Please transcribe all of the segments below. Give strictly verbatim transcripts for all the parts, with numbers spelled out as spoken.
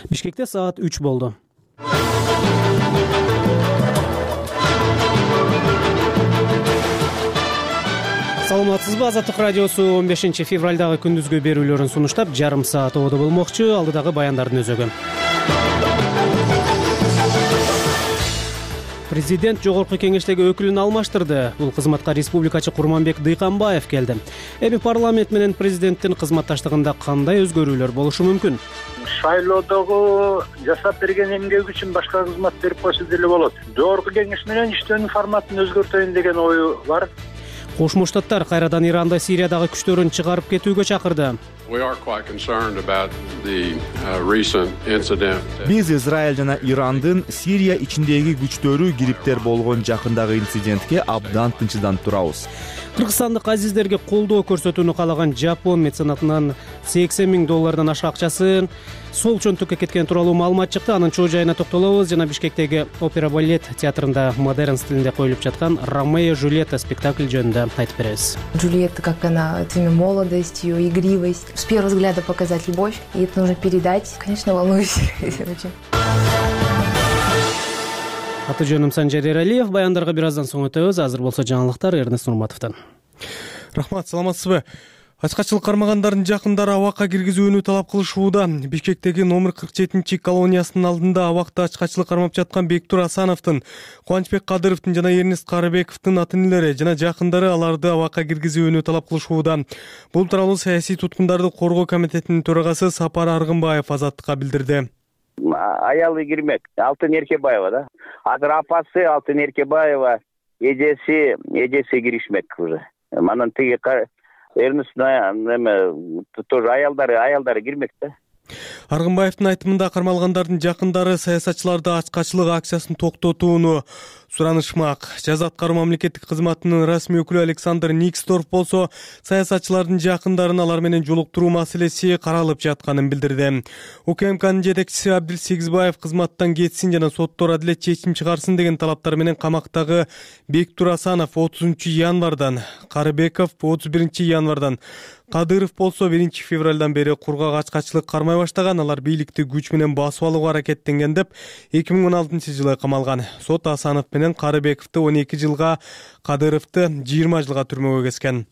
Бишкекте саат үч болду. Саламатсызбы, Азаттык радиосу он бешинчи февралдагы күндүзгү берүүлөрүн сунуштап жарым саат ободо болмокчу. Алдыдагы баяндардын өзөгү. Президент жогорку кеңештеги өкүлүн алмаштырды. Бул кызматка республикачы Курманбек Дыйканбаев келди. Эми парламент менен президенттин кызматташтыгында кандай өзгөрүүлөр болушу мүмкүн? Шайлоодогу жасап берген эмгеги үчүн башка кызмат берип койсо деле болот. Жогорку кеңеш менен иштөөнүн форматын өзгөртөйүн деген ою бар. Кошмо Штаттар кайрадан Иранда Сириядагы күчтөрүн чыгарып кетүүгө чакырды. Биз Израиль жана Ирандын Сирия ичиндеги күчтөрү кириптер болгон жакындагы инцидентке абдан тынчыданып турабыз. Кыргызстандык азиздерге колдоо көрсөтүүнү каалаган Жапон меценатынан сексен миң доллардан ашык акчасын сол чөнтөккө кеткен тууралуу маалымат чыкты. Анын чоо жайына токтолобуз жана Бишкектеги Опера балет театрында модерн стилинде коюлуп жаткан Ромео и Джульетта спектакль жөнүндө айтып беребиз. Джульетта, как она, своей молодостью, игривость, с первого взгляда показать любовь, и это нужно передать. Конечно, волнуюсь очень. Аты жөнүм Санжар Эралиев. Баяндарга бир аздан соң өтөбүз. Азыр болсо жаңылыктар Эрнест Нурматовдон. Рахмат, саламатсызбы? Ачкачылык кармагандардын жакындары абакка киргизүүнү талап кылышууда. Бишкектеги номер кырк жетинчи колониясынын алдында абакта ачкачылык кармап жаткан Бектур Асановдун, Кубанычбек Кадыровдун жана Эрнест Карыбековдун ата-энелери жана жакындары аларды абакка киргизүүнү талап кылышууда. Бул тууралуу саясий туткундарды коргоо комитетинин төрагасы Сапар Аргынбаев Азаттыкка билдирди. Аялы кирмек, Алтын Эркебаева, да. Азыр апасы Алтын Эркебаева, эжеси, эжеси киришмек уже. Манан тиги Эрнест неме тоже аялдары, аялдары кирмек да. Аргынбаевдин айтымында кармалгандардын жакындары саясатчыларды ачкачылык акциясын токтотууну суранышмак. Жаза аткаруу мамлекеттик кызматынын расмий өкүлү Александр Никсторф болсо саясатчылардын жакындарын алар менен жолуктуруу маселеси каралып жатканын билдирди. УКМКнын жетекчиси Абдил Сегизбаев кызматтан кетсин жана соттор адилет чечим чыгарсын деген талаптар менен камактагы Бектур Асанов отузунчу январдан, Карыбеков отуз биринчи январдан, Кадыров болсо биринчи февралдан бери кургак ачкачылык кармай баштаган. Алар бийликти күч менен басып алууга аракеттенген деп эки миң он алтынчы жылы камалган. Сот Асанов менен Карыбековду он эки жылга, Кадыровду жыйырма жылга түрмөгө кескен.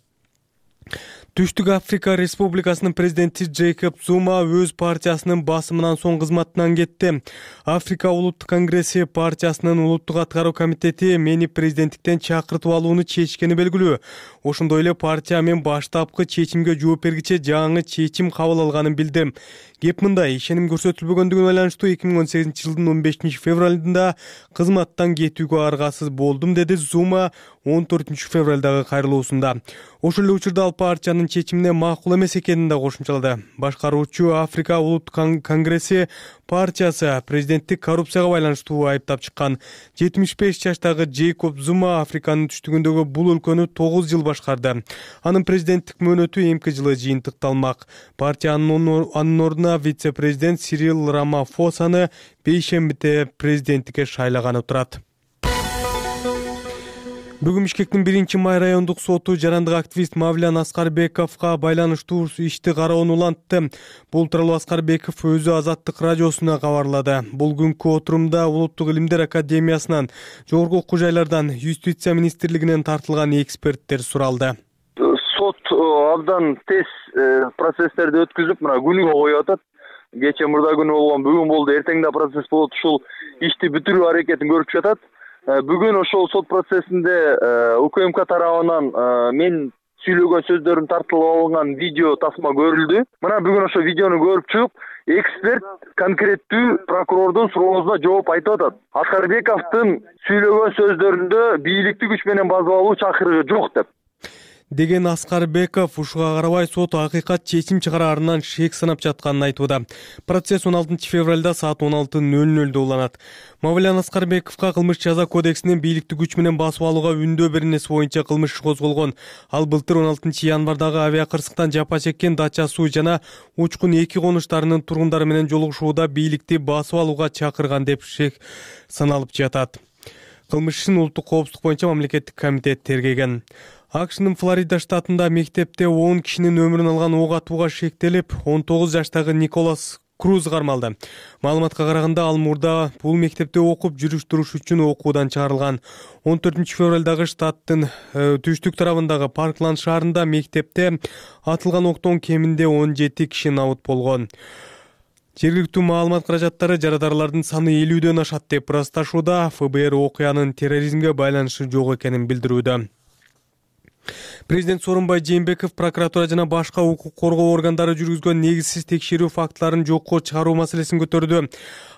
Түштүк Африка Республикасынын президенти Джейкоб Зума өз партиясынын басымынан соң кызматынан кетти. Африка Улуттук конгресси партиясынын улуттук аткаруу комитети мени президенттиктен чакыртып алууну чечкени белгилүү. Ошондой эле партия мен баштапкы чечимге жооп бергиче жаңы чечим кабыл алганын билди. Кеп мындай, ишеним көрсөтүлбөгөндүгүнө байланыштуу эки миң он сегизинчи жылдын он бешинчи февралында кызматтан кетүүгө аргасыз болдум, деди Зума он төртүнчү февралдагы кайрылуусунда. Ошол эле учурда ал партиянын чечимине макул эмес экенин да кошумчалады. Башкаруучу Африка Улуттук конгресси партиясы президенттик коррупцияга байланыштуу айыптап чыккан. жетимиш беш жаштагы Джейкоб Зума Африканын түштүгүндөгү бул өлкөнү тогуз жыл башкарды. Анын президенттик мөөнөтү эмки жылы жыйынтыкталмак. Партиянын анын ордуна вице-президент Сирил Рамафосаны бейшембиде президенттикке шайлаганы турат. Бүгүн Бишкектин биринчи май райондук соту жарандык активист Мавлян Аскарбековго байланыштуу ишти кароону улантты. Бул тууралуу Аскарбеков өзү Азаттык радиосуна кабарлады. Бул күнкү отурумда Улуттук илимдер академиясынан, жогорку окуу жайлардан, юстиция министрлигинен тартылган эксперттер суралды. Сот абдан тез процесстерди өткүзүп, мына күнүгө коюп атат. Кече мурда күнү болгон, бүгүн болду, эртең да процесс болот. Ушул ишти бүтүрүү аракетин көрүп жатат. Бүгүн ошол сот процессинде УКМК тарабынан мен сүйлөгөн сөздөрүм тартылып алынган видео тасма көрүлдү. Мына бүгүн ошо видеону көрүп чыгып, эксперт конкреттүү прокурордун суроосуна жооп айтып атат. Аскарбековдун сүйлөгөн сөздөрүндө бийликти күч менен басып алуу чакырыгы жок деп. деген Аскарбеков ушуга карабай сот акыйкат чечим чыгараарынан шек санап жатканын айтууда. Процесс он алтынчы февралда саат он алты нөл нөлдө уланат. Мавлян Аскарбековго кылмыш жаза кодексинин бийликти күч менен басып алууга үндөө беренеси боюнча кылмыш козголгон. Ал былтыр он алтынчы январдагы авиакырсыктан жапа чеккен Дача суу жана Учкун эки конуштарынын тургундары менен жолугушууда бийликти басып алууга чакырган деп шек саналып жатат. Кылмыш ишин улуттук коопсуздук боюнча мамлекеттик комитет тергеген. АКШнын Флорида штатында мектепте он кишинин өмүрүн алган ок атууга шектелип, он тогуз жаштагы Николас Круз кармалды. Маалыматка караганда ал мурда бул мектепте окуп жүрүш туруш үчүн окуудан чыгарылган. он төртүнчү февралдагы штаттын түштүк тарабындагы Паркланд шаарында мектепте атылган октон кеминде он жети киши набыт болгон. Жергиликтүү маалымат каражаттары жарадарлардын саны элүүдөн ашат деп ырасташууда. эф бэ эр окуянын терроризмге байланышы жок экенин билдирүүдө. Президент Сооронбай Жээнбеков прокуратура жана башка укук коргоо органдары жүргүзгөн негизсиз текшерүү фактыларын жокко чыгаруу маселесин көтөрдү.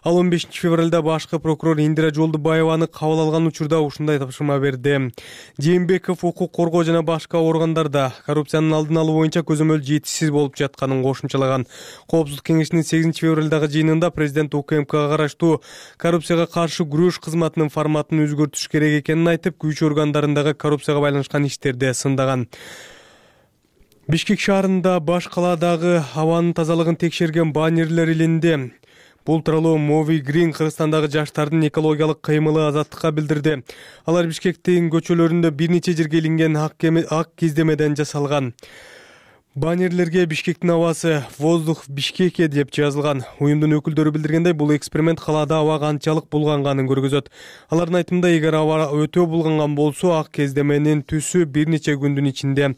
Ал он бешинчи февралда башкы прокурор Индира Жолдубаеваны кабыл алган учурда ушундай тапшырма берди. Жээнбеков укук коргоо жана башка органдарда коррупциянын алдын алуу боюнча көзөмөл жетишсиз болуп жатканын кошумчалаган. Коопсуздук кеңешинин сегизинчи февралдагы жыйынында президент У К М Кга караштуу коррупцияга каршы күрөш кызматынын форматын өзгөртүш керек экенин айтып, күч органдарындагы коррупцияга байланышкан иштерди сындаган. Бишкек шаарында баш калаадагы абанын тазалыгын текшерген баннерлер илинди. Бул тууралуу Мови Грин Кыргызстандагы жаштардын экологиялык кыймылы Азаттыкка билдирди. Алар Бишкектин көчөлөрүндө бир нече жерге илинген ак киздемеден жасалган. Баннерлерге Бишкектин абасы воздух Бишкеке деп жазылган. Уюмдун өкүлдөрү билдиргендей, бул эксперимент калаада аба канчалык булганганын көргөзөт. Алардын айтымында, эгер аба өтө булганган болсо, ак кездеменин түсү бир нече күндүн ичинде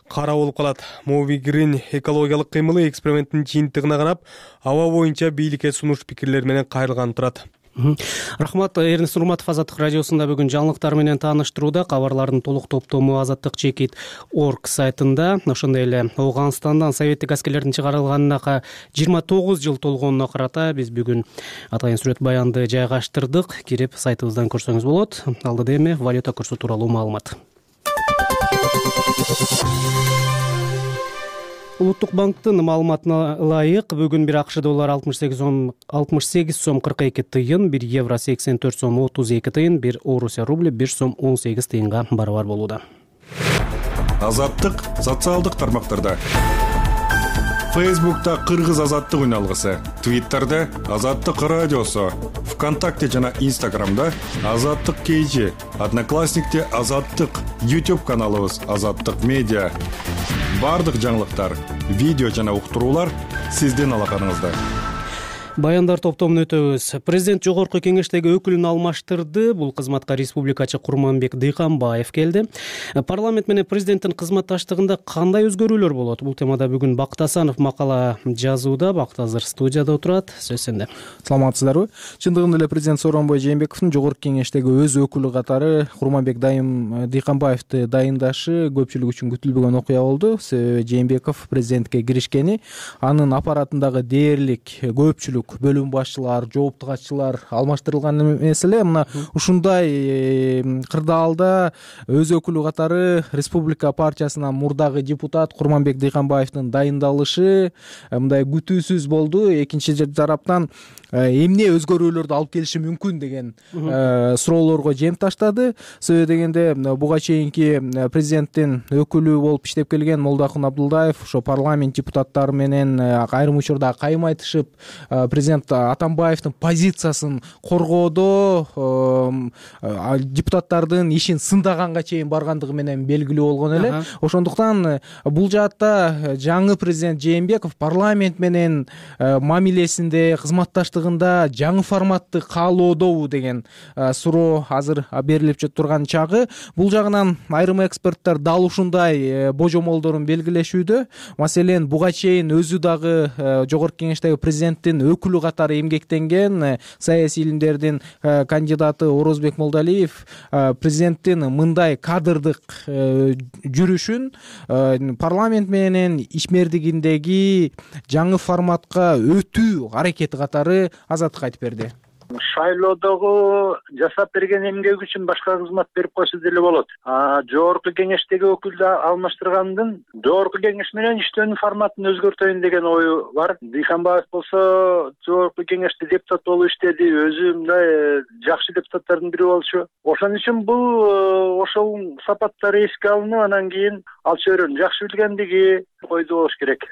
кара болуп калат. Мови Грин экологиялык кыймылы эксперименттин жыйынтыгына карап, аба боюнча бийликке сунуш пикирлер менен кайрылган турат. Рахмат, Эрнест Нурматов Азаттык радиосунда бүгүн жаңылыктар менен тааныштырууда. Кабарлардын толук топтому азаттык чекит точка орг сайтында. Ошондой эле Ооганстандан советтик аскерлердин чыгарылганына жыйырма тогуз жыл толгонуна карата биз бүгүн атайын сүрөт баянды жайгаштырдык. Кирип сайтыбыздан көрсөңүз болот. Алдыда эми валюта курсу тууралуу маалымат. Улуттук банктын маалыматына ылайык бүгүн бир АКШ доллары алтымыш сегиз сом кырк эки тыйын, бир евро сексен төрт сом отуз эки тыйын, бир Орусия рубли бир сом он сегиз тыйынга барабар болууда. Азаттык социалдык тармактарда. Фейсбукта Кыргыз азаттык үналгысы, Твиттерде Азаттык радиосу, ВКонтакте жана Инстаграмда Азаттык кей жи, Одноклассникте Азаттык, YouTube каналыбыз Азаттык медиа. Бардык жаңылыктар, видео жана уктуруулар сиздин алаканыңызда. Баяндар топтомун өтөбүз. Президент жогорку кеңештеги өкүлүн алмаштырды. Бул кызматка республикачы Курманбек Дыйканбаев келди. Парламент менен президенттин кызматташтыгында кандай өзгөрүүлөр болот? Бул темада бүгүн Бактасанов макала жазууда. Бактазыр студияда отурат. Сөз сенде. Саламатсыздарбы? Чындыгында эле президент Сооронбай Жээнбековдун жогорку кеңештеги өз өкүлү катары Курманбек Дыйканбаевди дайындашы көпчүлүк үчүн күтүлбөгөн окуя болду. Себеби Жээнбеков президентке киришкени, анын аппаратындагы дээрлик көпчүлүк бөлүм башчылар, жоопту катчылар алмаштырылган эмес эле. Мына ушундай кырдаалда өз өкүлү катары Республика партиясынан мурдагы депутат Курманбек Дыйканбаевдин дайындалышы мындай күтүүсүз болду. Экинчи тараптан эмне өзгөрүүлөрдү алып келиши мүмкүн деген суроолорго жем таштады. Себеби дегенде буга чейинки президенттин өкүлү болуп иштеп келген Молдохун Абдулдаев ошо парламент депутаттары менен айрым учурда кайым айтышып, президент Атамбаевдин позициясын коргоодо депутаттардын ишин сындаганга чейин баргандыгы менен белгилүү болгон эле. Ошондуктан бул жаатта жаңы президент Жээнбеков парламент менен мамилесинде, кызматташтыгында жаңы форматты каалоодобу деген суроо азыр берилип турган чагы. Бул жагынан айрым эксперттер дал ушундай божомолдорун белгилешүүдө. Маселен, буга чейин өзү дагы жогорку кеңештеги президенттин өкүлү катары эмгектенген саясий илимдердин кандидаты Орозбек Молдалиев президенттин мындай кадрдык жүрүшүн парламент менен ишмердигиндеги жаңы форматка өтүү аракети катары Азаттыкка айтып берди. Шайлоодогу жасап берген эмгеги үчүн башка кызмат берип койсо деле болот. А жогорку кеңештеги өкүлдү алмаштыргандын жогорку кеңеш менен иштөөнүн форматын өзгөртөйүн деген ою бар. Дыйканбаев болсо жогорку кеңеште депутат болуп иштеди, өзү мындай жакшы депутаттардын бири болчу. Ошон үчүн бул ошол сапаттары эске алынып, анан кийин ал чөйрөнү жакшы билгендиги ойдо болуш керек.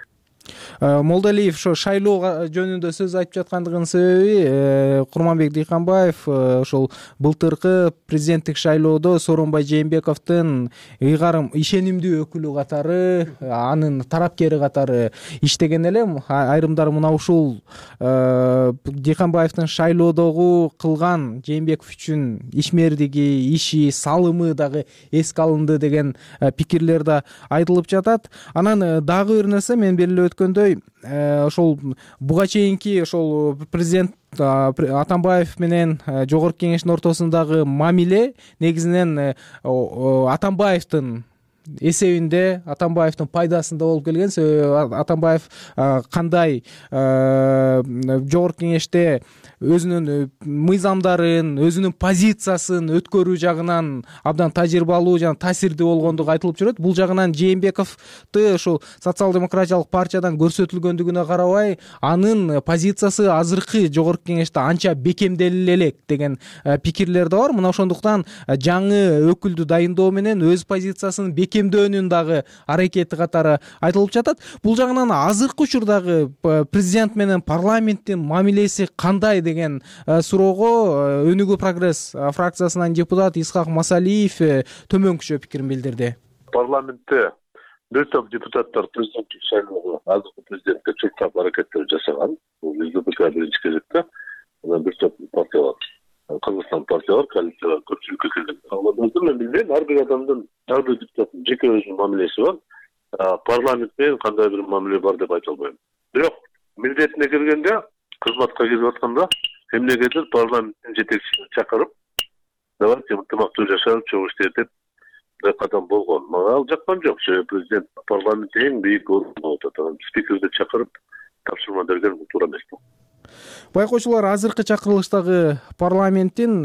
Молдалиев ошо шайлоо жөнүндө сөз айтып жаткандыгынын себеби Курманбек Дыйканбаев ошол былтыркы президенттик шайлоодо Сооронбай Жээнбековдун ыйгарым ишенимдүү өкүлү катары, анын тарапкери катары иштеген эле. Айрымдар мына ушул Дыйканбаевдин шайлоодогу кылган Жээнбеков үчүн ишмердиги, иши, салымы дагы эске алынды деген пикирлер да айтылып жатат. Анан дагы бир нерсе, мен белгилеп өткөндөй, ошол буга чейинки ошол президент Атамбаев менен жогорку кеңештин ортосундагы мамиле негизинен Атамбаевдин эсебинде, Атамбаевдин пайдасында болуп келген. Себеби Атамбаев кандай жогорку кеңеште өзүнүн мыйзамдарын, өзүнүн позициясын өткөрүү жагынан абдан тажрыйбалуу жана таасирдүү болгондугу айтылып жүрөт. Бул жагынан Жээнбековду ошол социал-демократиялык партиядан көрсөтүлгөндүгүнө карабай, анын позициясы азыркы жогорку кеңеште анча бекемделе элек деген пикирлер да бар. Мына ошондуктан жаңы өкүлдү дайындоо менен өз позициясын бекемдөөнүн дагы аракети катары айтылып жатат. Бул жагынан азыркы учурдагы президент менен парламенттин мамилеси кандай деген суроого Өнүгүү прогресс фракциясынан депутат Исхак Масалиев төмөнкүчө пикирин билдирди. Парламентте бир топ депутаттар президенттик шайлоого азыркы президентке чуркап аракеттер жасаган. Бул ЛДПК биринчи кезекте, анан бир топ партиялар, Кыргызстан партиялар коалицияга көпчүлүккө келген. Аларды мен билбейм, ар бир адамдын, ар бир депутаттын жеке өзүнүн мамилеси бар. Парламент менен кандай бир мамиле бар деп айта албайм. Бирок милдетине келгенде, кызматка келип атканда эмнегедир парламенттин жетекчисин чакырып, давайте ынтымактуу жашап, чогуу иштейт деп бир кадам болгон. Мага ал жаккан жок. Себеби президент парламентте эң бийик орунда отурат. Анан спикерди чакырып тапшырма берген туура эмес. Байкоочулар, азыркы чакырылыштагы парламенттин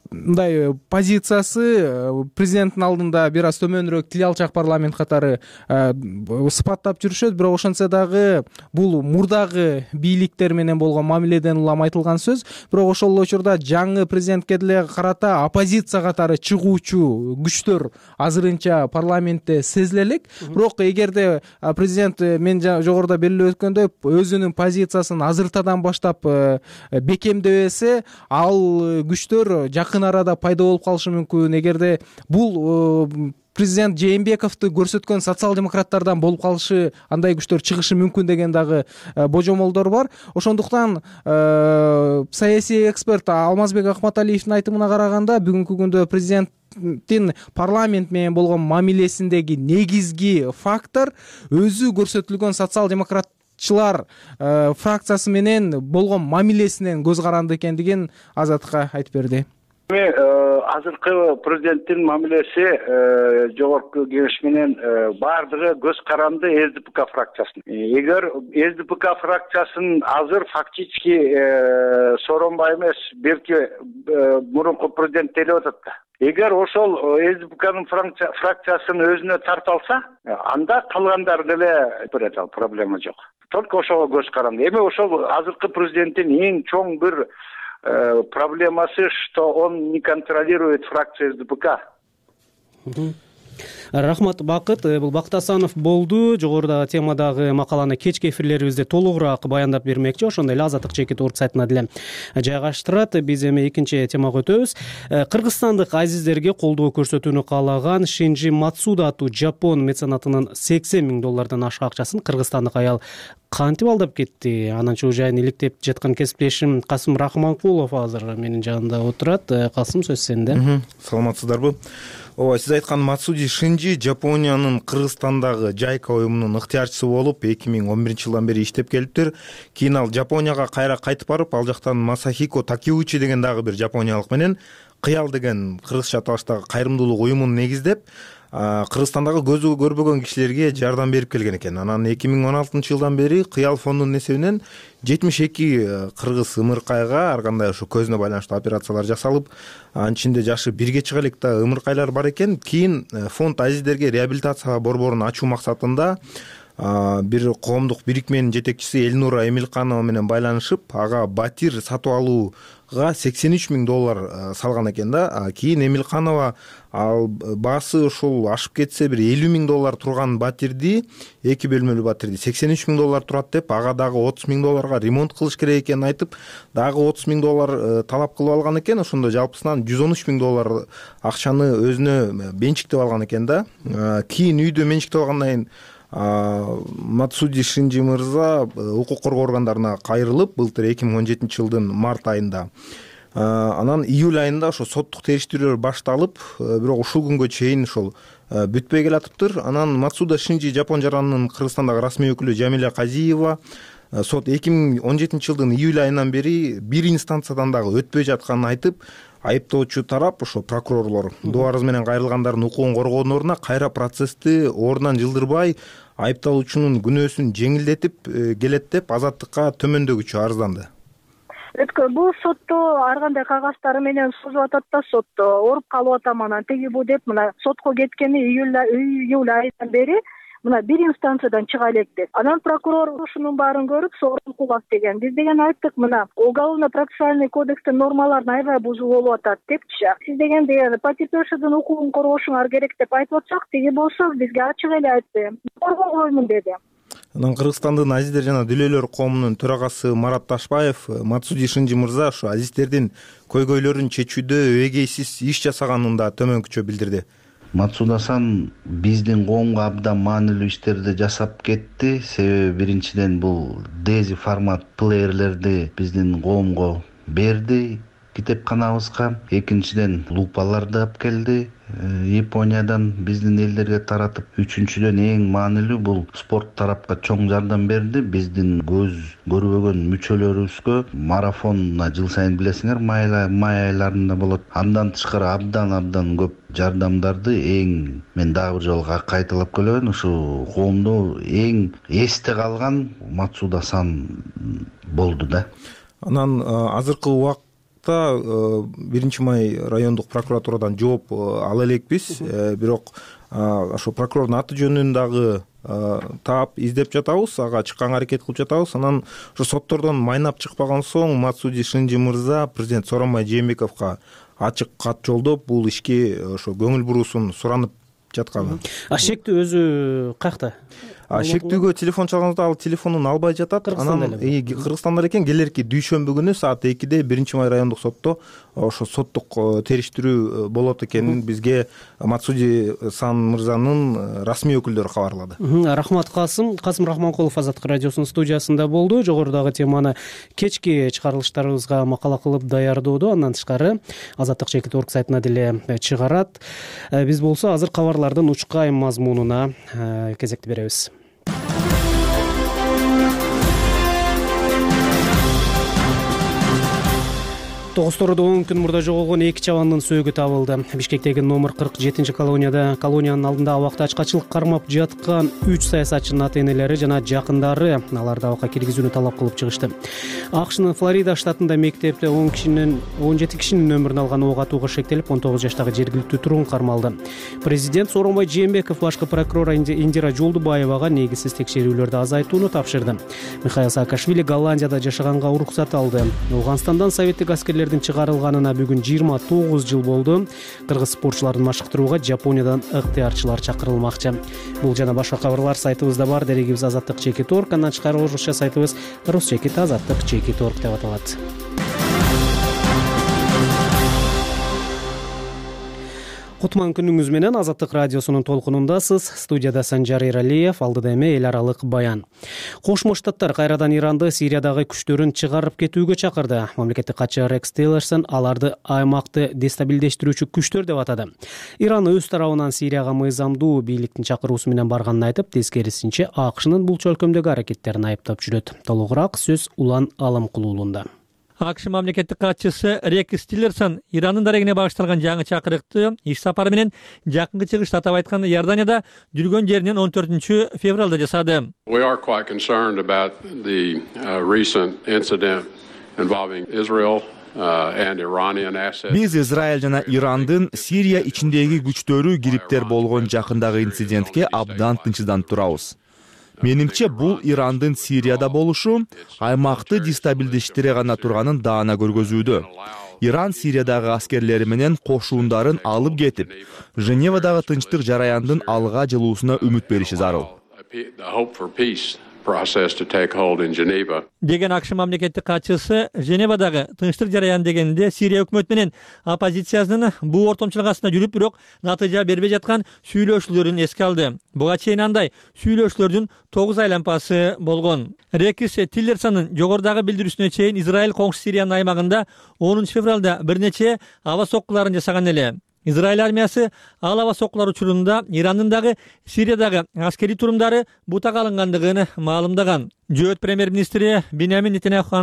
мындай позициясы президенттин алдында бир аз төмөнүрөөк тил алчак парламент катары сыпаттап жүрүшөт. Бирок ошентсе дагы бул мурдагы бийликтер менен болгон мамиледен улам айтылган сөз. Бирок ошол эле учурда жаңы президентке деле карата оппозиция катары чыгуучу күчтөр азырынча парламентте сезиле элек. Бирок эгерде президент, мен жогоруда белгилеп өткөндөй, өзүнүн позициясын азыртадан баштап бекемдебесе, ал күчтөр жакын арада пайда болуп калышы мүмкүн. Эгерде бул президент Жээнбековду көрсөткөн социал-демократтардан болуп калышы, андай күчтөр чыгышы мүмкүн деген дагы божомолдор бар. Ошондуктан саясий эксперт Алмазбек Акматалиевдин айтымына караганда, бүгүнкү күндө президенттин парламент менен болгон мамилесиндеги негизги фактор өзү көрсөтүлгөн социал-демократ фракциясы менен болгон мамилесинен көз каранды экендигин Азатка айтып берди. Азыркы президенттин мамилеси жогорку кеңеш менен баардыгы көз каранды ЛДПК фракциясын. Эгер ЛДПК фракциясын азыр фактически Сооронбай эмес, белки мурунку президент делип атат да. Эгер ошол ЛДПКнын фракциясын өзүнө тарта алса, анда калгандар деле берет, ал проблема жок. Только ошого көз каранды. Эми ошол азыркы президенттин эң чоң бир проблемасы, что он не контролирует фракцию ЛДПК. Рахмат, Бакыт. Бул Бакыт Асанов болду. Жогоруда темадагы макаланы кечки эфирлерибизде толугураак баяндап бермекчи. Ошондой эле Азаттык чекит орг сайтына деле жайгаштырат. Биз эми экинчи темага өтөбүз. Кыргызстандык азиздерге колдоо көрсөтүүнү каалаган Шинжи Мацуда аттуу жапон меценатынын сексен миң доллардан ашык акчасын кыргызстандык аял кантип алдап кетти? Анын чоо жайын иликтеп жаткан кесиптешим Касым Рахманкулов азыр менин жанымда отурат. Касым, сөз сенде. Саламатсыздарбы? Ооба, сиз айткан Мацуди Шинжи Жапониянын Кыргызстандагы Жайка уюмунун ыктыярчысы болуп эки миң он биринчи жылдан бери иштеп келиптир. Кийин ал Жапонияга кайра кайтып барып, ал жактан Масахико Такеучи деген дагы бир жапониялык менен Кыял деген кыргызча аталыштагы кайрымдуулук уюмун негиздеп, Кыргызстандагы көзү көрбөгөн кишилерге жардам берип келген экен. Анан эки миң он алтынчы жылдан бери Кыял фондунун эсебинен жетимиш эки кыргыз ымыркайга ар кандай ошо көзүнө байланыштуу операциялар жасалып, анын ичинде жашы бирге чыга элек да ымыркайлар бар экен. Кийин фонд азиздерге реабилитация борборун ачуу максатында бир коомдук бирикменин жетекчиси Элнура Эмилканова менен байланышып, ага батир сатып алууга сексен үч миң доллар салган экен да. Кийин Эмилканова ал баасы ушул ашып кетсе бир элүү миң доллар турган батирди, эки бөлмөлүү батирди сексен үч миң доллар турат деп, ага дагы отуз миң долларга ремонт кылыш керек экенин айтып, дагы отуз миң доллар талап кылып алган экен. Ошондо жалпысынан жүз он үч миң доллар акчаны өзүнө менчиктеп алган экен да. Кийин үйдө менчиктеп алгандан кийин Мацуди Шинжи мырза укук коргоо органдарына кайрылып, былтыр эки миң он жетинчи жылдын март айында, анан июль айында ошо соттук териштирүүлөр башталып, бирок ушул күнгө чейин ошол бүтпөй келатыптыр. Анан Мацуда Шинжи Жапон жаранынын Кыргызстандагы расмий өкүлү Жамиля Казиева сот эки миң он жетинчи жылдын июль айынан бери бир инстанциядан дагы өтпөй жатканын айтып, айыптоочу тарап ошо прокурорлор доо арыз менен кайрылгандардын укугун коргоонун ордуна кайра процессти ордунан жылдырбай, айыпталуучунун күнөөсүн жеңилдетип келет деп Азаттыкка төмөндөгүчө арызданды. Бул сотто ар кандай кагаздар менен созуп атат да, сотто ооруп калып атам, анан тиги бу деп мына сотко кеткени июль айынан бери мына бир инстанциядан чыга элек деп. Анан прокурор ушунун баарын көрүп, сорун кулат деген. Биз деген айттык, мына уголовно-процессуальный кодекстин нормаларын аябай бузуу болуп атат депчи. Сиз деген деген потерпевшийдин укугун коргошуңар керек деп айтып атсак, тиги болсо бизге ачык эле айтты. Коргобоймун деди. Анан Кыргызстандын азиздер жана дүлөөлөр коомунун төрагасы Марат Ташбаев Мацуди Шинжи мырза ошо азиздердин көйгөйлөрүн чечүүдө эгейсиз иш жасаганын да төмөнкүчө билдирди. Мацуда-сан биздин коомго абдан маанилүү иштерди жасап кетти. Себеби биринчиден бул дези формат плеерлерди биздин коомго берди китепканабызга. Экинчиден лупаларды алып келди Япониядан биздин элдерге таратып. Үчүнчүдөн эң маанилүү бул спорт тарапка чоң жардам берди. Биздин көз көрбөгөн мүчөлөрүбүзгө марафонуна жыл сайын билесиңер май айларында болот. Андан тышкары абдан абдан көп жардамдарды эң мен дагы бир жолу кайталап келебин. Ушу коомдо эң эсте калган Мацуда-сан болду да. Анан азыркы убакта биринчи май райондук прокуратурадан жооп ала элекпиз, бирок ошо прокурордун аты жөнүн дагы таап издеп жатабыз, ага чыкканга аракет кылып жатабыз. Анан ошо соттордон майнап чыкпаган соң Мацуди Шинжи мырза президент Сооронбай Жээнбековго ачык кат жолдоп, бул ишке ошо көңүл буруусун суранып жаткан. А шектүү өзү каякта? Шектүүгө телефон чалганда ал телефонун албай жатат. Анан Кыргызстанда экен, келерки дүйшөмбү күнү саат экиде биринчи май райондук сотто ошо соттук териштирүү болот экенин бизге Мацуди сан мырзанын расмий өкүлдөрү кабарлады. Рахмат Касым. Касым Рахманкулов Азаттык радиосунун студиясында болду. Жогорудагы теманы кечки чыгарылыштарыбызга макала кылып даярдоодо, андан тышкары Азаттык чекит точка орг сайтына деле чыгарат. Биз болсо азыр кабарлардын учкай мазмунуна кезекти беребиз. Тогузтородо он күн мурда жоголгон эки чабандын сөөгү табылды. Бишкектеги номер кырк жетинчи колонияда колониянын алдында абакта ачкачылык кармап жаткан үч саясатчынын ата-энелери жана жакындары аларды абакка киргизүүнү талап кылып чыгышты. АКШнын Флорида штатында мектепте он кишинин он жети кишинин өмүрүн алган ок атууга шектелип, он тогуз жаштагы жергиликтүү тургун кармалды. Президент Сооронбай Жээнбеков башкы прокурор Индира Жолдубаевага негизсиз текшерүүлөрдү азайтууну тапшырды. Михаил Саакашвили Голландияда жашаганга уруксат алды. Ауганстандан советтик аскерлер чыгарылганына бүгүн жыйырма тогуз жыл болду. Кыргыз спортчуларын машыктырууга Жапониядан ыктыярчылар чакырылмакчы. Бул жана башка кабарлар сайтыбызда бар. Дерегибиз азаттык чекит точка орг, андан тышкары орусча сайтыбыз русчекит азаттык чекит точка орг деп аталат. Кутман күнүңүз менен Азаттык радиосунун толкунундасыз. Студияда Санжар Эралиев, алдыда эми эл аралык баян. Кошмо Штаттар кайрадан Иранды Сириядагы күчтөрүн чыгарып кетүүгө чакырды. Мамлекеттик катчы Рекс Тиллерсон аларды аймакты дестабилдештирүүчү күчтөр деп атады. Иран өз тарабынан Сирияга мыйзамдуу бийликтин чакыруусу менен барганын айтып, тескерисинче АКШнын бул чөлкөмдөгү аракеттерин айыптап жүрөт. Толугураак сөз Улан Алымкулуулунда. АКШ мамлекеттик катчысы Рекс Тиллерсон Ирандын дарегине багышталган жаңы чакырыкты иш сапары менен жакынкы чыгышта, атап айтканда Иорданияда жүргөн жеринен он төртүнчү февралда жасады. We are quite concerned about the uh, recent incident involving Israel. Биз Израиль жана Ирандын Сирия ичиндеги күчтөрү кириптер болгон жакындагы инцидентке абдан тынчсызданып турабыз. Менимче бул Ирандын Сирияда болушу аймакты дестабилдештире гана турганын даана көргөзүүдө. Иран Сириядагы аскерлери менен кошуундарын алып кетип, Женевадагы тынчтык жараяндын алга жылуусуна үмүт бериши зарыл. Деген АКШ мамлекеттик катчысы Женевадагы тынчтык жараян дегенде Сирия өкмөтү менен оппозициянын бул ортомчулук астында жүрүп, бирок натыйжа бербей жаткан сүйлөшүүлөрүн эске алды. Буга чейин андай сүйлөшүүлөрдүн тогуз айланпасы болгон. Рекс Тиллерсонун жогорудагы билдирүүсүнө чейин Израиль коңшу Сириянын аймагында онунчу февралда бир нече аба соккуларын жасаган эле. Израиль армиясы ал аба соккулар учурунда Ирандын дагы Сириядагы аскерий турумдары бутага алынгандыгын маалымдаган. Жөөт премьер-министри Биньямин Нетаньяху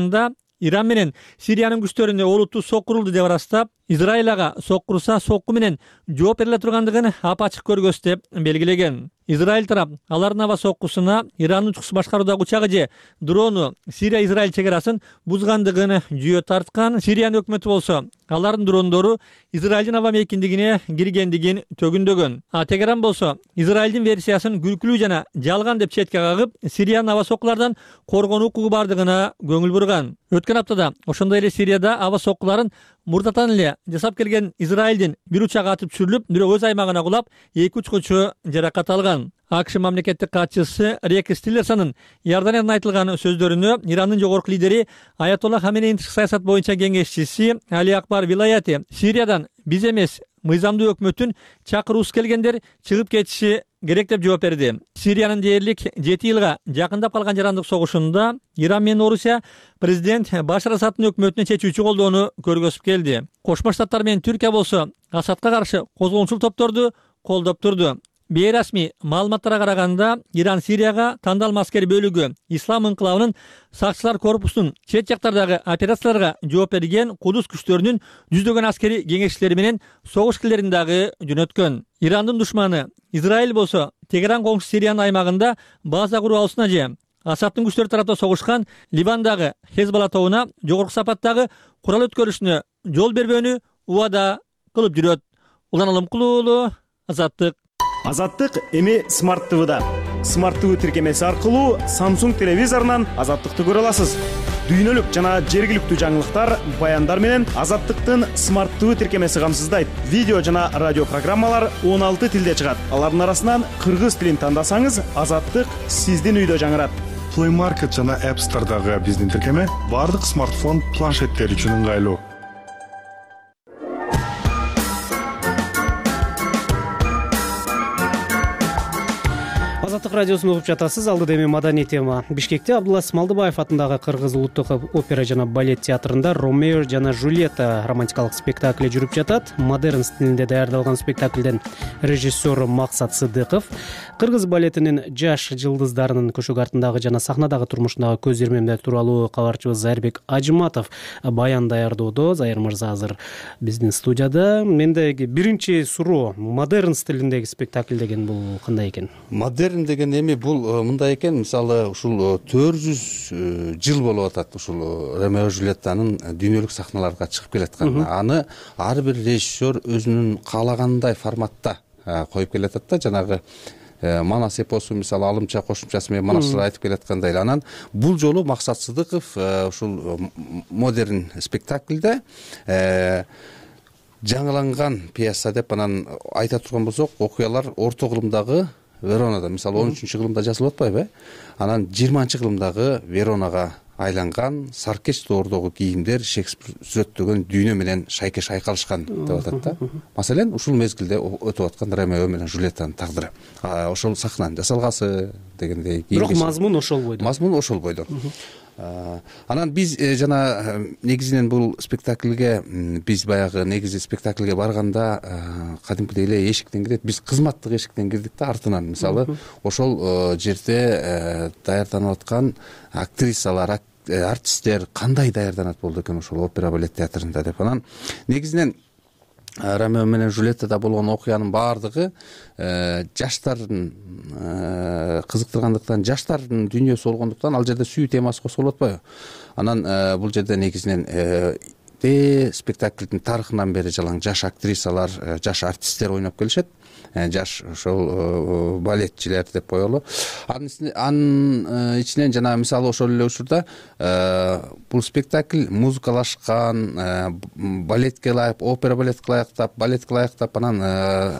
Иран менен Сириянын күчтөрүнө олуттуу соккурулду деп ырастап, Израиль ага соккурса сокку менен жооп бериле тургандыгын апачык көргөз деп белгилеген. Израиль тарап алардын аба соккусуна Ирандын учкус башкаруудагы учагы же дрону Сирия-Израиль чек арасын бузгандыгын жүйө тарткан. Сириянын өкмөтү болсо алардын дрондору Израилдин аба мейкиндигине киргендигин төгүндөгөн. А Тегеран болсо Израилдин версиясын күлкүлүү жана жалган деп четке кагып, Сириянын аба соккулардан коргонуу укугу бардыгына көңүл бурган. Өткөн аптада ошондой эле Сирияда аба соккуларын мурдатан эле жасап келген Израилдин бир учагы атып түшүрүлүп, бирок өз аймагына кулап, эки учкучу жаракат алган. АКШ мамлекеттик катчысы Рекс Тиллерсонун Иорданиядан айтылган сөздөрүнө Ирандын жогорку лидери Аятолла Хаменейдин тышкы саясат боюнча кеңешчиси Али Акбар Вилаяти Сириядан биз эмес, мыйзамдуу өкмөттүн чакыруусу келгендер чыгып кетиши керек деп жооп берди. Сириянын дээрлик жети жылга жакындап калган жарандык согушунда Иран менен Орусия президент Башар Асадтын өкмөтүнө чечүүчү колдоону көргөзүп келди. Кошмо Штаттар менен Түркия болсо Асадка каршы козголгончул топторду колдоп турду. Бейрасмий маалыматтарга караганда, Иран Сирияга тандалма аскери бөлүгү Ислам инкылабынын сакчылар корпусунун чет жактардагы операцияларга жооп берген Кудус күчтөрүнүн жүздөгөн аскери кеңешчилери менен согуш килерин дагы жөнөткөн. Ирандын душманы Израиль болсо Тегеран коңшу Сириянын аймагында база куруу алышына же Асадтын күчтөрү тарапта согушкан Ливандагы Хезболла тобуна жогорку сапаттагы курал өткөрүшүнө жол бербөөнү убада кылып жүрөт. Улан Алымкулуу, Азаттык. Азаттык эми Смарт ТВда. Смарт ТВ тиркемеси аркылуу Samsung телевизорунан Азаттыкты көрө аласыз. Дүйнөлүк жана жергиликтүү жаңылыктар, баяндар менен Азаттыктын Смарт ТВ тиркемеси камсыздайт. Видео жана радио программалар он алты тилде чыгат. Алардын арасынан кыргыз тилин тандасаңыз, Азаттык сиздин үйдө жаңырат. Play Market жана App Store'дагы биздин тиркеме бардык смартфон, планшеттер үчүн ыңгайлуу. Азаттык радиосун угуп жатасыз. Алдыда эми маданий тема. Бишкекте Абдулла Смалдыбаев атындагы Кыргыз улуттук опера жана балет театрында Ромео жана Жульетта романтикалык спектакли жүрүп жатат. Модерн стилинде даярдалган спектаклден режиссер Максат Сыдыков кыргыз балетинин жаш жылдыздарынын көшөк артындагы жана сахнадагы турмушундагы көз ирмемдер тууралуу кабарчыбыз Зайырбек Ажыматов баян даярдоодо. Зайыр мырза азыр биздин студияда. Мендеги биринчи суроо, модерн стилиндеги спектакль деген бул кандай экен? Модерн деген эми бул мындай экен, мисалы ушул төрт жүз жыл болуп атат ушул Ромео Жульеттанын дүйнөлүк сахналарга чыгып келатканына. Аны ар бир режиссер өзүнүн каалагандай форматта коюп келатат да, жанагы Манас эпосу мисалы алымча кошумчасы менен Манастар айтып келаткандай эле. Анан бул жолу Максат Сыдыков ушул модерн спектакльде жаңыланган пьеса деп анан айта турган болсок, окуялар орто кылымдагы Веронада, мисалы он үчүнчү кылымда жазылып атпайбы? Анан жыйырманчы кылымдагы Веронага айланган саркеч доордогу кийимдер Шекспир сүрөттөгөн дүйнө менен шайкеш айкалышкан деп атат да. Маселен, ушул мезгилде өтүп аткан Ромео менен Жульеттанын тагдыры. Ошол сахнанын жасалгасы дегендей. Бирок мазмун ошол бойдо. Мазмун ошол бойдо. Анан биз жана негизинен бул спектакльге биз баягы негизи спектакльге барганда кадимкидей эле эшиктен кирет. Биз кызматтык эшиктен кирдик да, артынан. Мисалы, ошол жерде даярданып аткан актрисалар, артисттер кандай даярданат болду экен ошол опера балет театрында деп. Анан негизинен Ромео менен Жульеттада болгон окуянын баардыгы жаштардын кызыктыргандыктан, жаштардын дүйнөсү болгондуктан ал жерде сүйүү темасы козголуп атпайбы? Анан бул жерде негизинен спектаклдин тарыхынан бери жалаң жаш актрисалар, жаш артисттер ойноп келишет. жаш ошол балетчилер деп коелу. Анын ичинен жана мисалы ошол эле учурда бул спектакль музыкалашкан, балетке ылайык, опера балетке ылайыктап, балетке ылайыктап, анан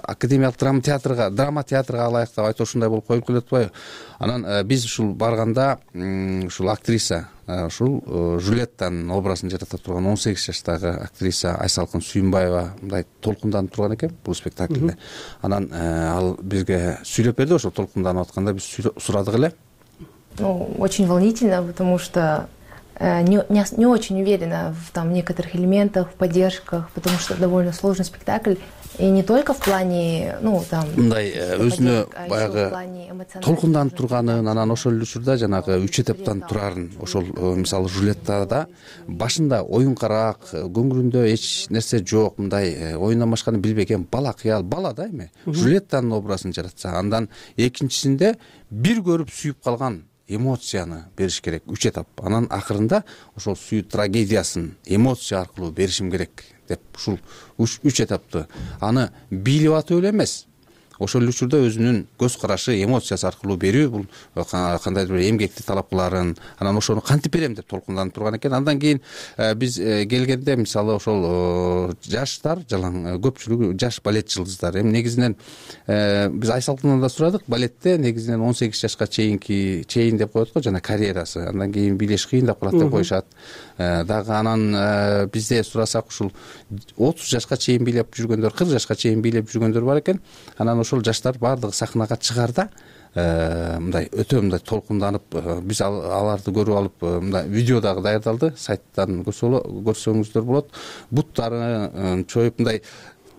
академиялык драма театрга, драма театрга ылайыктап айтып ушундай болуп коюп келип атпайбы. Анан биз ушул барганда ушул актриса ушул Жулеттанын образын жарата турган он сегиз жаштагы актриса Айсалкын Сүйүнбаева мындай толкунданып турган экен бул спектакльде. Анан ал бизге сүйлөп берди, ошо толкунданып атканда биз сурадык эле. Ну, очень волнительно, потому что не, не, не очень уверена в там некоторых элементах, в поддержках, потому что довольно сложный спектакль. И не только в плане, ну, там... Мындай өзүнө баягы толкунданып турганын, анан ошол эле учурда жанагы үч этаптан турарын, ошол мисалы Жулеттада башында оюнкараак, көңүлүндө эч нерсе жок, мындай оюндан башканы билбеген бала кыял, бала да эми. Жулеттанын образын жаратса, андан экинчисинде бир көрүп сүйүп калган эмоцияны бериш керек, үч этап. Анан акырында ошол сүйүү трагедиясын эмоция аркылуу беришим керек деп ушул үч этапты аны бийлеп атып эле эмес, ошол эле учурда өзүнүн көз карашы, эмоциясы аркылуу берүү, бул кандайдыр бир эмгекти талап кыларын, анан ошону кантип берем деп толкунданып турган экен. Андан кийин биз келгенде мисалы ошол жаштар, жалаң көпчүлүгү жаш балет жылдыздары. Эми негизинен биз Айсалкындан да сурадык, балетте негизинен он сегиз жашка чейинки чейин деп коет го, жана карьерасы. Андан кийин бийлеш кыйындап калат деп коюшат. Дагы анан бизде сурасак ушул отуз жашка чейин бийлеп жүргөндөр, кырк жашка чейин бийлеп жүргөндөр бар экен. Анан ошол жаштар баардыгы сахнага чыгарда мындай өтө мындай толкунданып, биз аларды көрүп алып, мындай видео дагы даярдалды, сайттан көрсөңүздөр болот. Буттарын чоюп мындай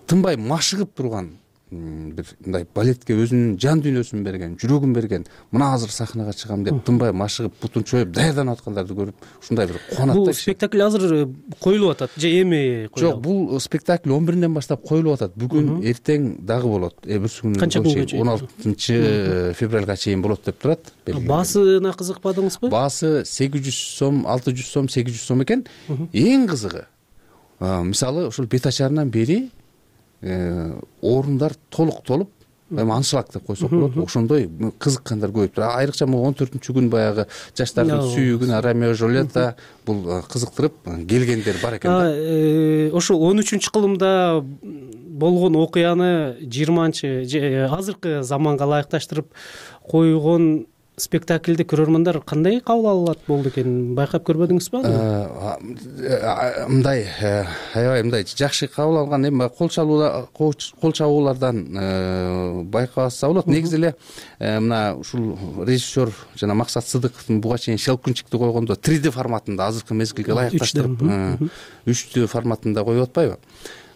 тынбай машыгып турган бир мындай балетке өзүнүн жан дүйнөсүн берген, жүрөгүн берген, мына азыр сахнага чыгам деп тынбай машыгып, бутун чоюп даярданып аткандарды көрүп, ушундай бир кубанат. Бул спектакль азыр коюлуп атат же эми коюлат? Жок, бул спектакль он биринден баштап коюлуп атат. Бүгүн, эртең дагы болот. Эртеси күнү канча күнгө чейин? он алтынчы февралга чейин болот деп турат. Баасына кызыкпадыңызбы? Баасы сегиз жүз сом, алты жүз сом, сегиз жүз сом экен. Эң кызыгы, мисалы ушул бет ачарынан бери орундар толук толуп, эми аншлаг деп койсок болот, ошондой кызыккандар көп. Айрыкча могу он төртүнчү күн баягы жаштардын сүйүү күнү, Ромео Жулетта, бул кызыктырып келгендер бар экен да. Ошол он үчүнчү кылымда болгон окуяны жыйырманчы азыркы заманга ылайыкташтырып койгон спектакльди көрөрмандар кандай кабыл алат болду экен, байкап көрбөдүңүзбү? Мындай аябай мындай жакшы кабыл алган, эми кол чабуулардан байкаса болот. Негизи эле мына ушул режиссер жана Максат Сыдыковдун буга чейин Щелкунчикти койгондо три дэ форматында азыркы мезгилге ылайыкташтырып үч дэ форматында коюп атпайбы?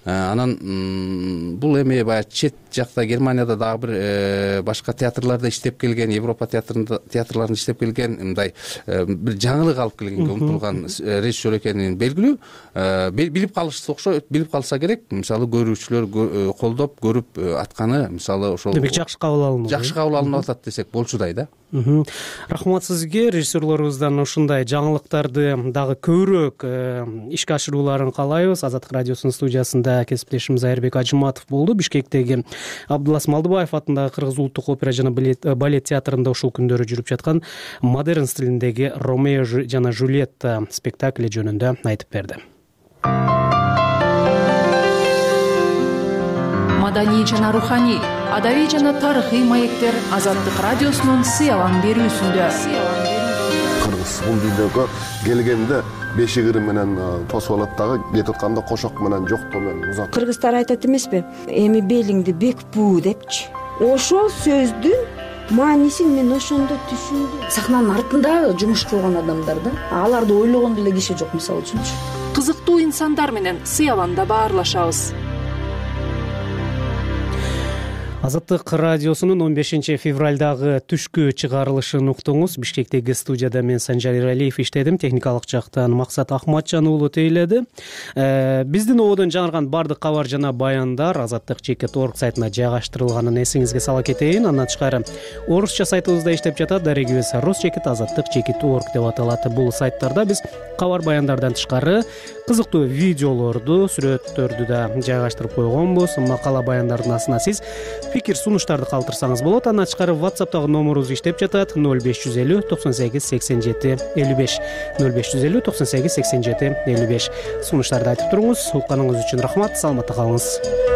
Анан бул эми баягы чет жакта Германияда дагы бир башка театрларда иштеп келген, Европа театрында театрларында иштеп келген, мындай бир жаңылык алып келгенге умтулган режиссер экенин белгилүү, билип калышса окшойт, билип калса керек. Мисалы көрүүчүлөр колдоп көрүп атканы, мисалы ошол демек жакшы кабыл алынып жакшы кабыл алынып атат десек болчудай да. Рахмат сизге, режиссерлорубуздан ушундай жаңылыктарды дагы көбүрөөк ишке ашырууларын каалайбыз. Азаттык радиосунун студиясында кесиптешimiz Айырбек Ажыматов болду. Бишкектеги Абдулас Малдыбаев атындагы Кыргыз улуттук опера жана балет театрында ушул күндөрү жүрүп жаткан модерн стилиндеги Ромео жана Жулетта спектакли жөнүндө айтып берди. Маданий жана руханий, адабий жана тарыхый маектер Азаттык радиосунун сыялан берүүсүндө. Кыргыз бул дүйнөгө келгенде бешигири менен тосуп алат дагы, кетип атканда кошок менен жоктоо менен узат. Кыргыздар айтат эмеспи? Эми белиңди бек буу депчи. Ошол сөздүн маанисин мен ошондо түшүндүм. Сахнанын артында жумуш кылган адамдар да, аларды ойлогон деле киши жок, мисалы үчүнчү. Кызыктуу инсандар менен сыяланда баарлашабыз. Азаттык радиосунун он бешинчи февралдагы түшкү чыгарылышын уктуңуз. Бишкектеги студияда мен Санжар Иралиев иштедим, техникалык жактан Максат Ахматжан уулу тейледи. Биздин ободон жаңырган бардык кабар жана баяндар азаттык чекит точка орг сайтына жайгаштырылганын эсиңизге сала кетейин. Андан тышкары орусча сайтыбызда иштеп жатат, дарегибиз рус чекит азаттык чекит точка орг деп аталат. Бул сайттарда биз кабар баяндардан тышкары кызыктуу видеолорду, сүрөттөрдү да жайгаштырып койгонбуз. Макала баяндардын астына сиз пикир сунуштарды калтырсаңыз болот. Андан тышкары WhatsApp'тагы номерубуз иштеп жатат: ноль беш жүз элүү токсон сегиз сексен жети элүү беш ноль беш жүз элүү токсон сегиз сексен жети элүү беш. Сунуштарды айтып туруңуз. Укканыңыз үчүн рахмат. Саламатта калыңыз.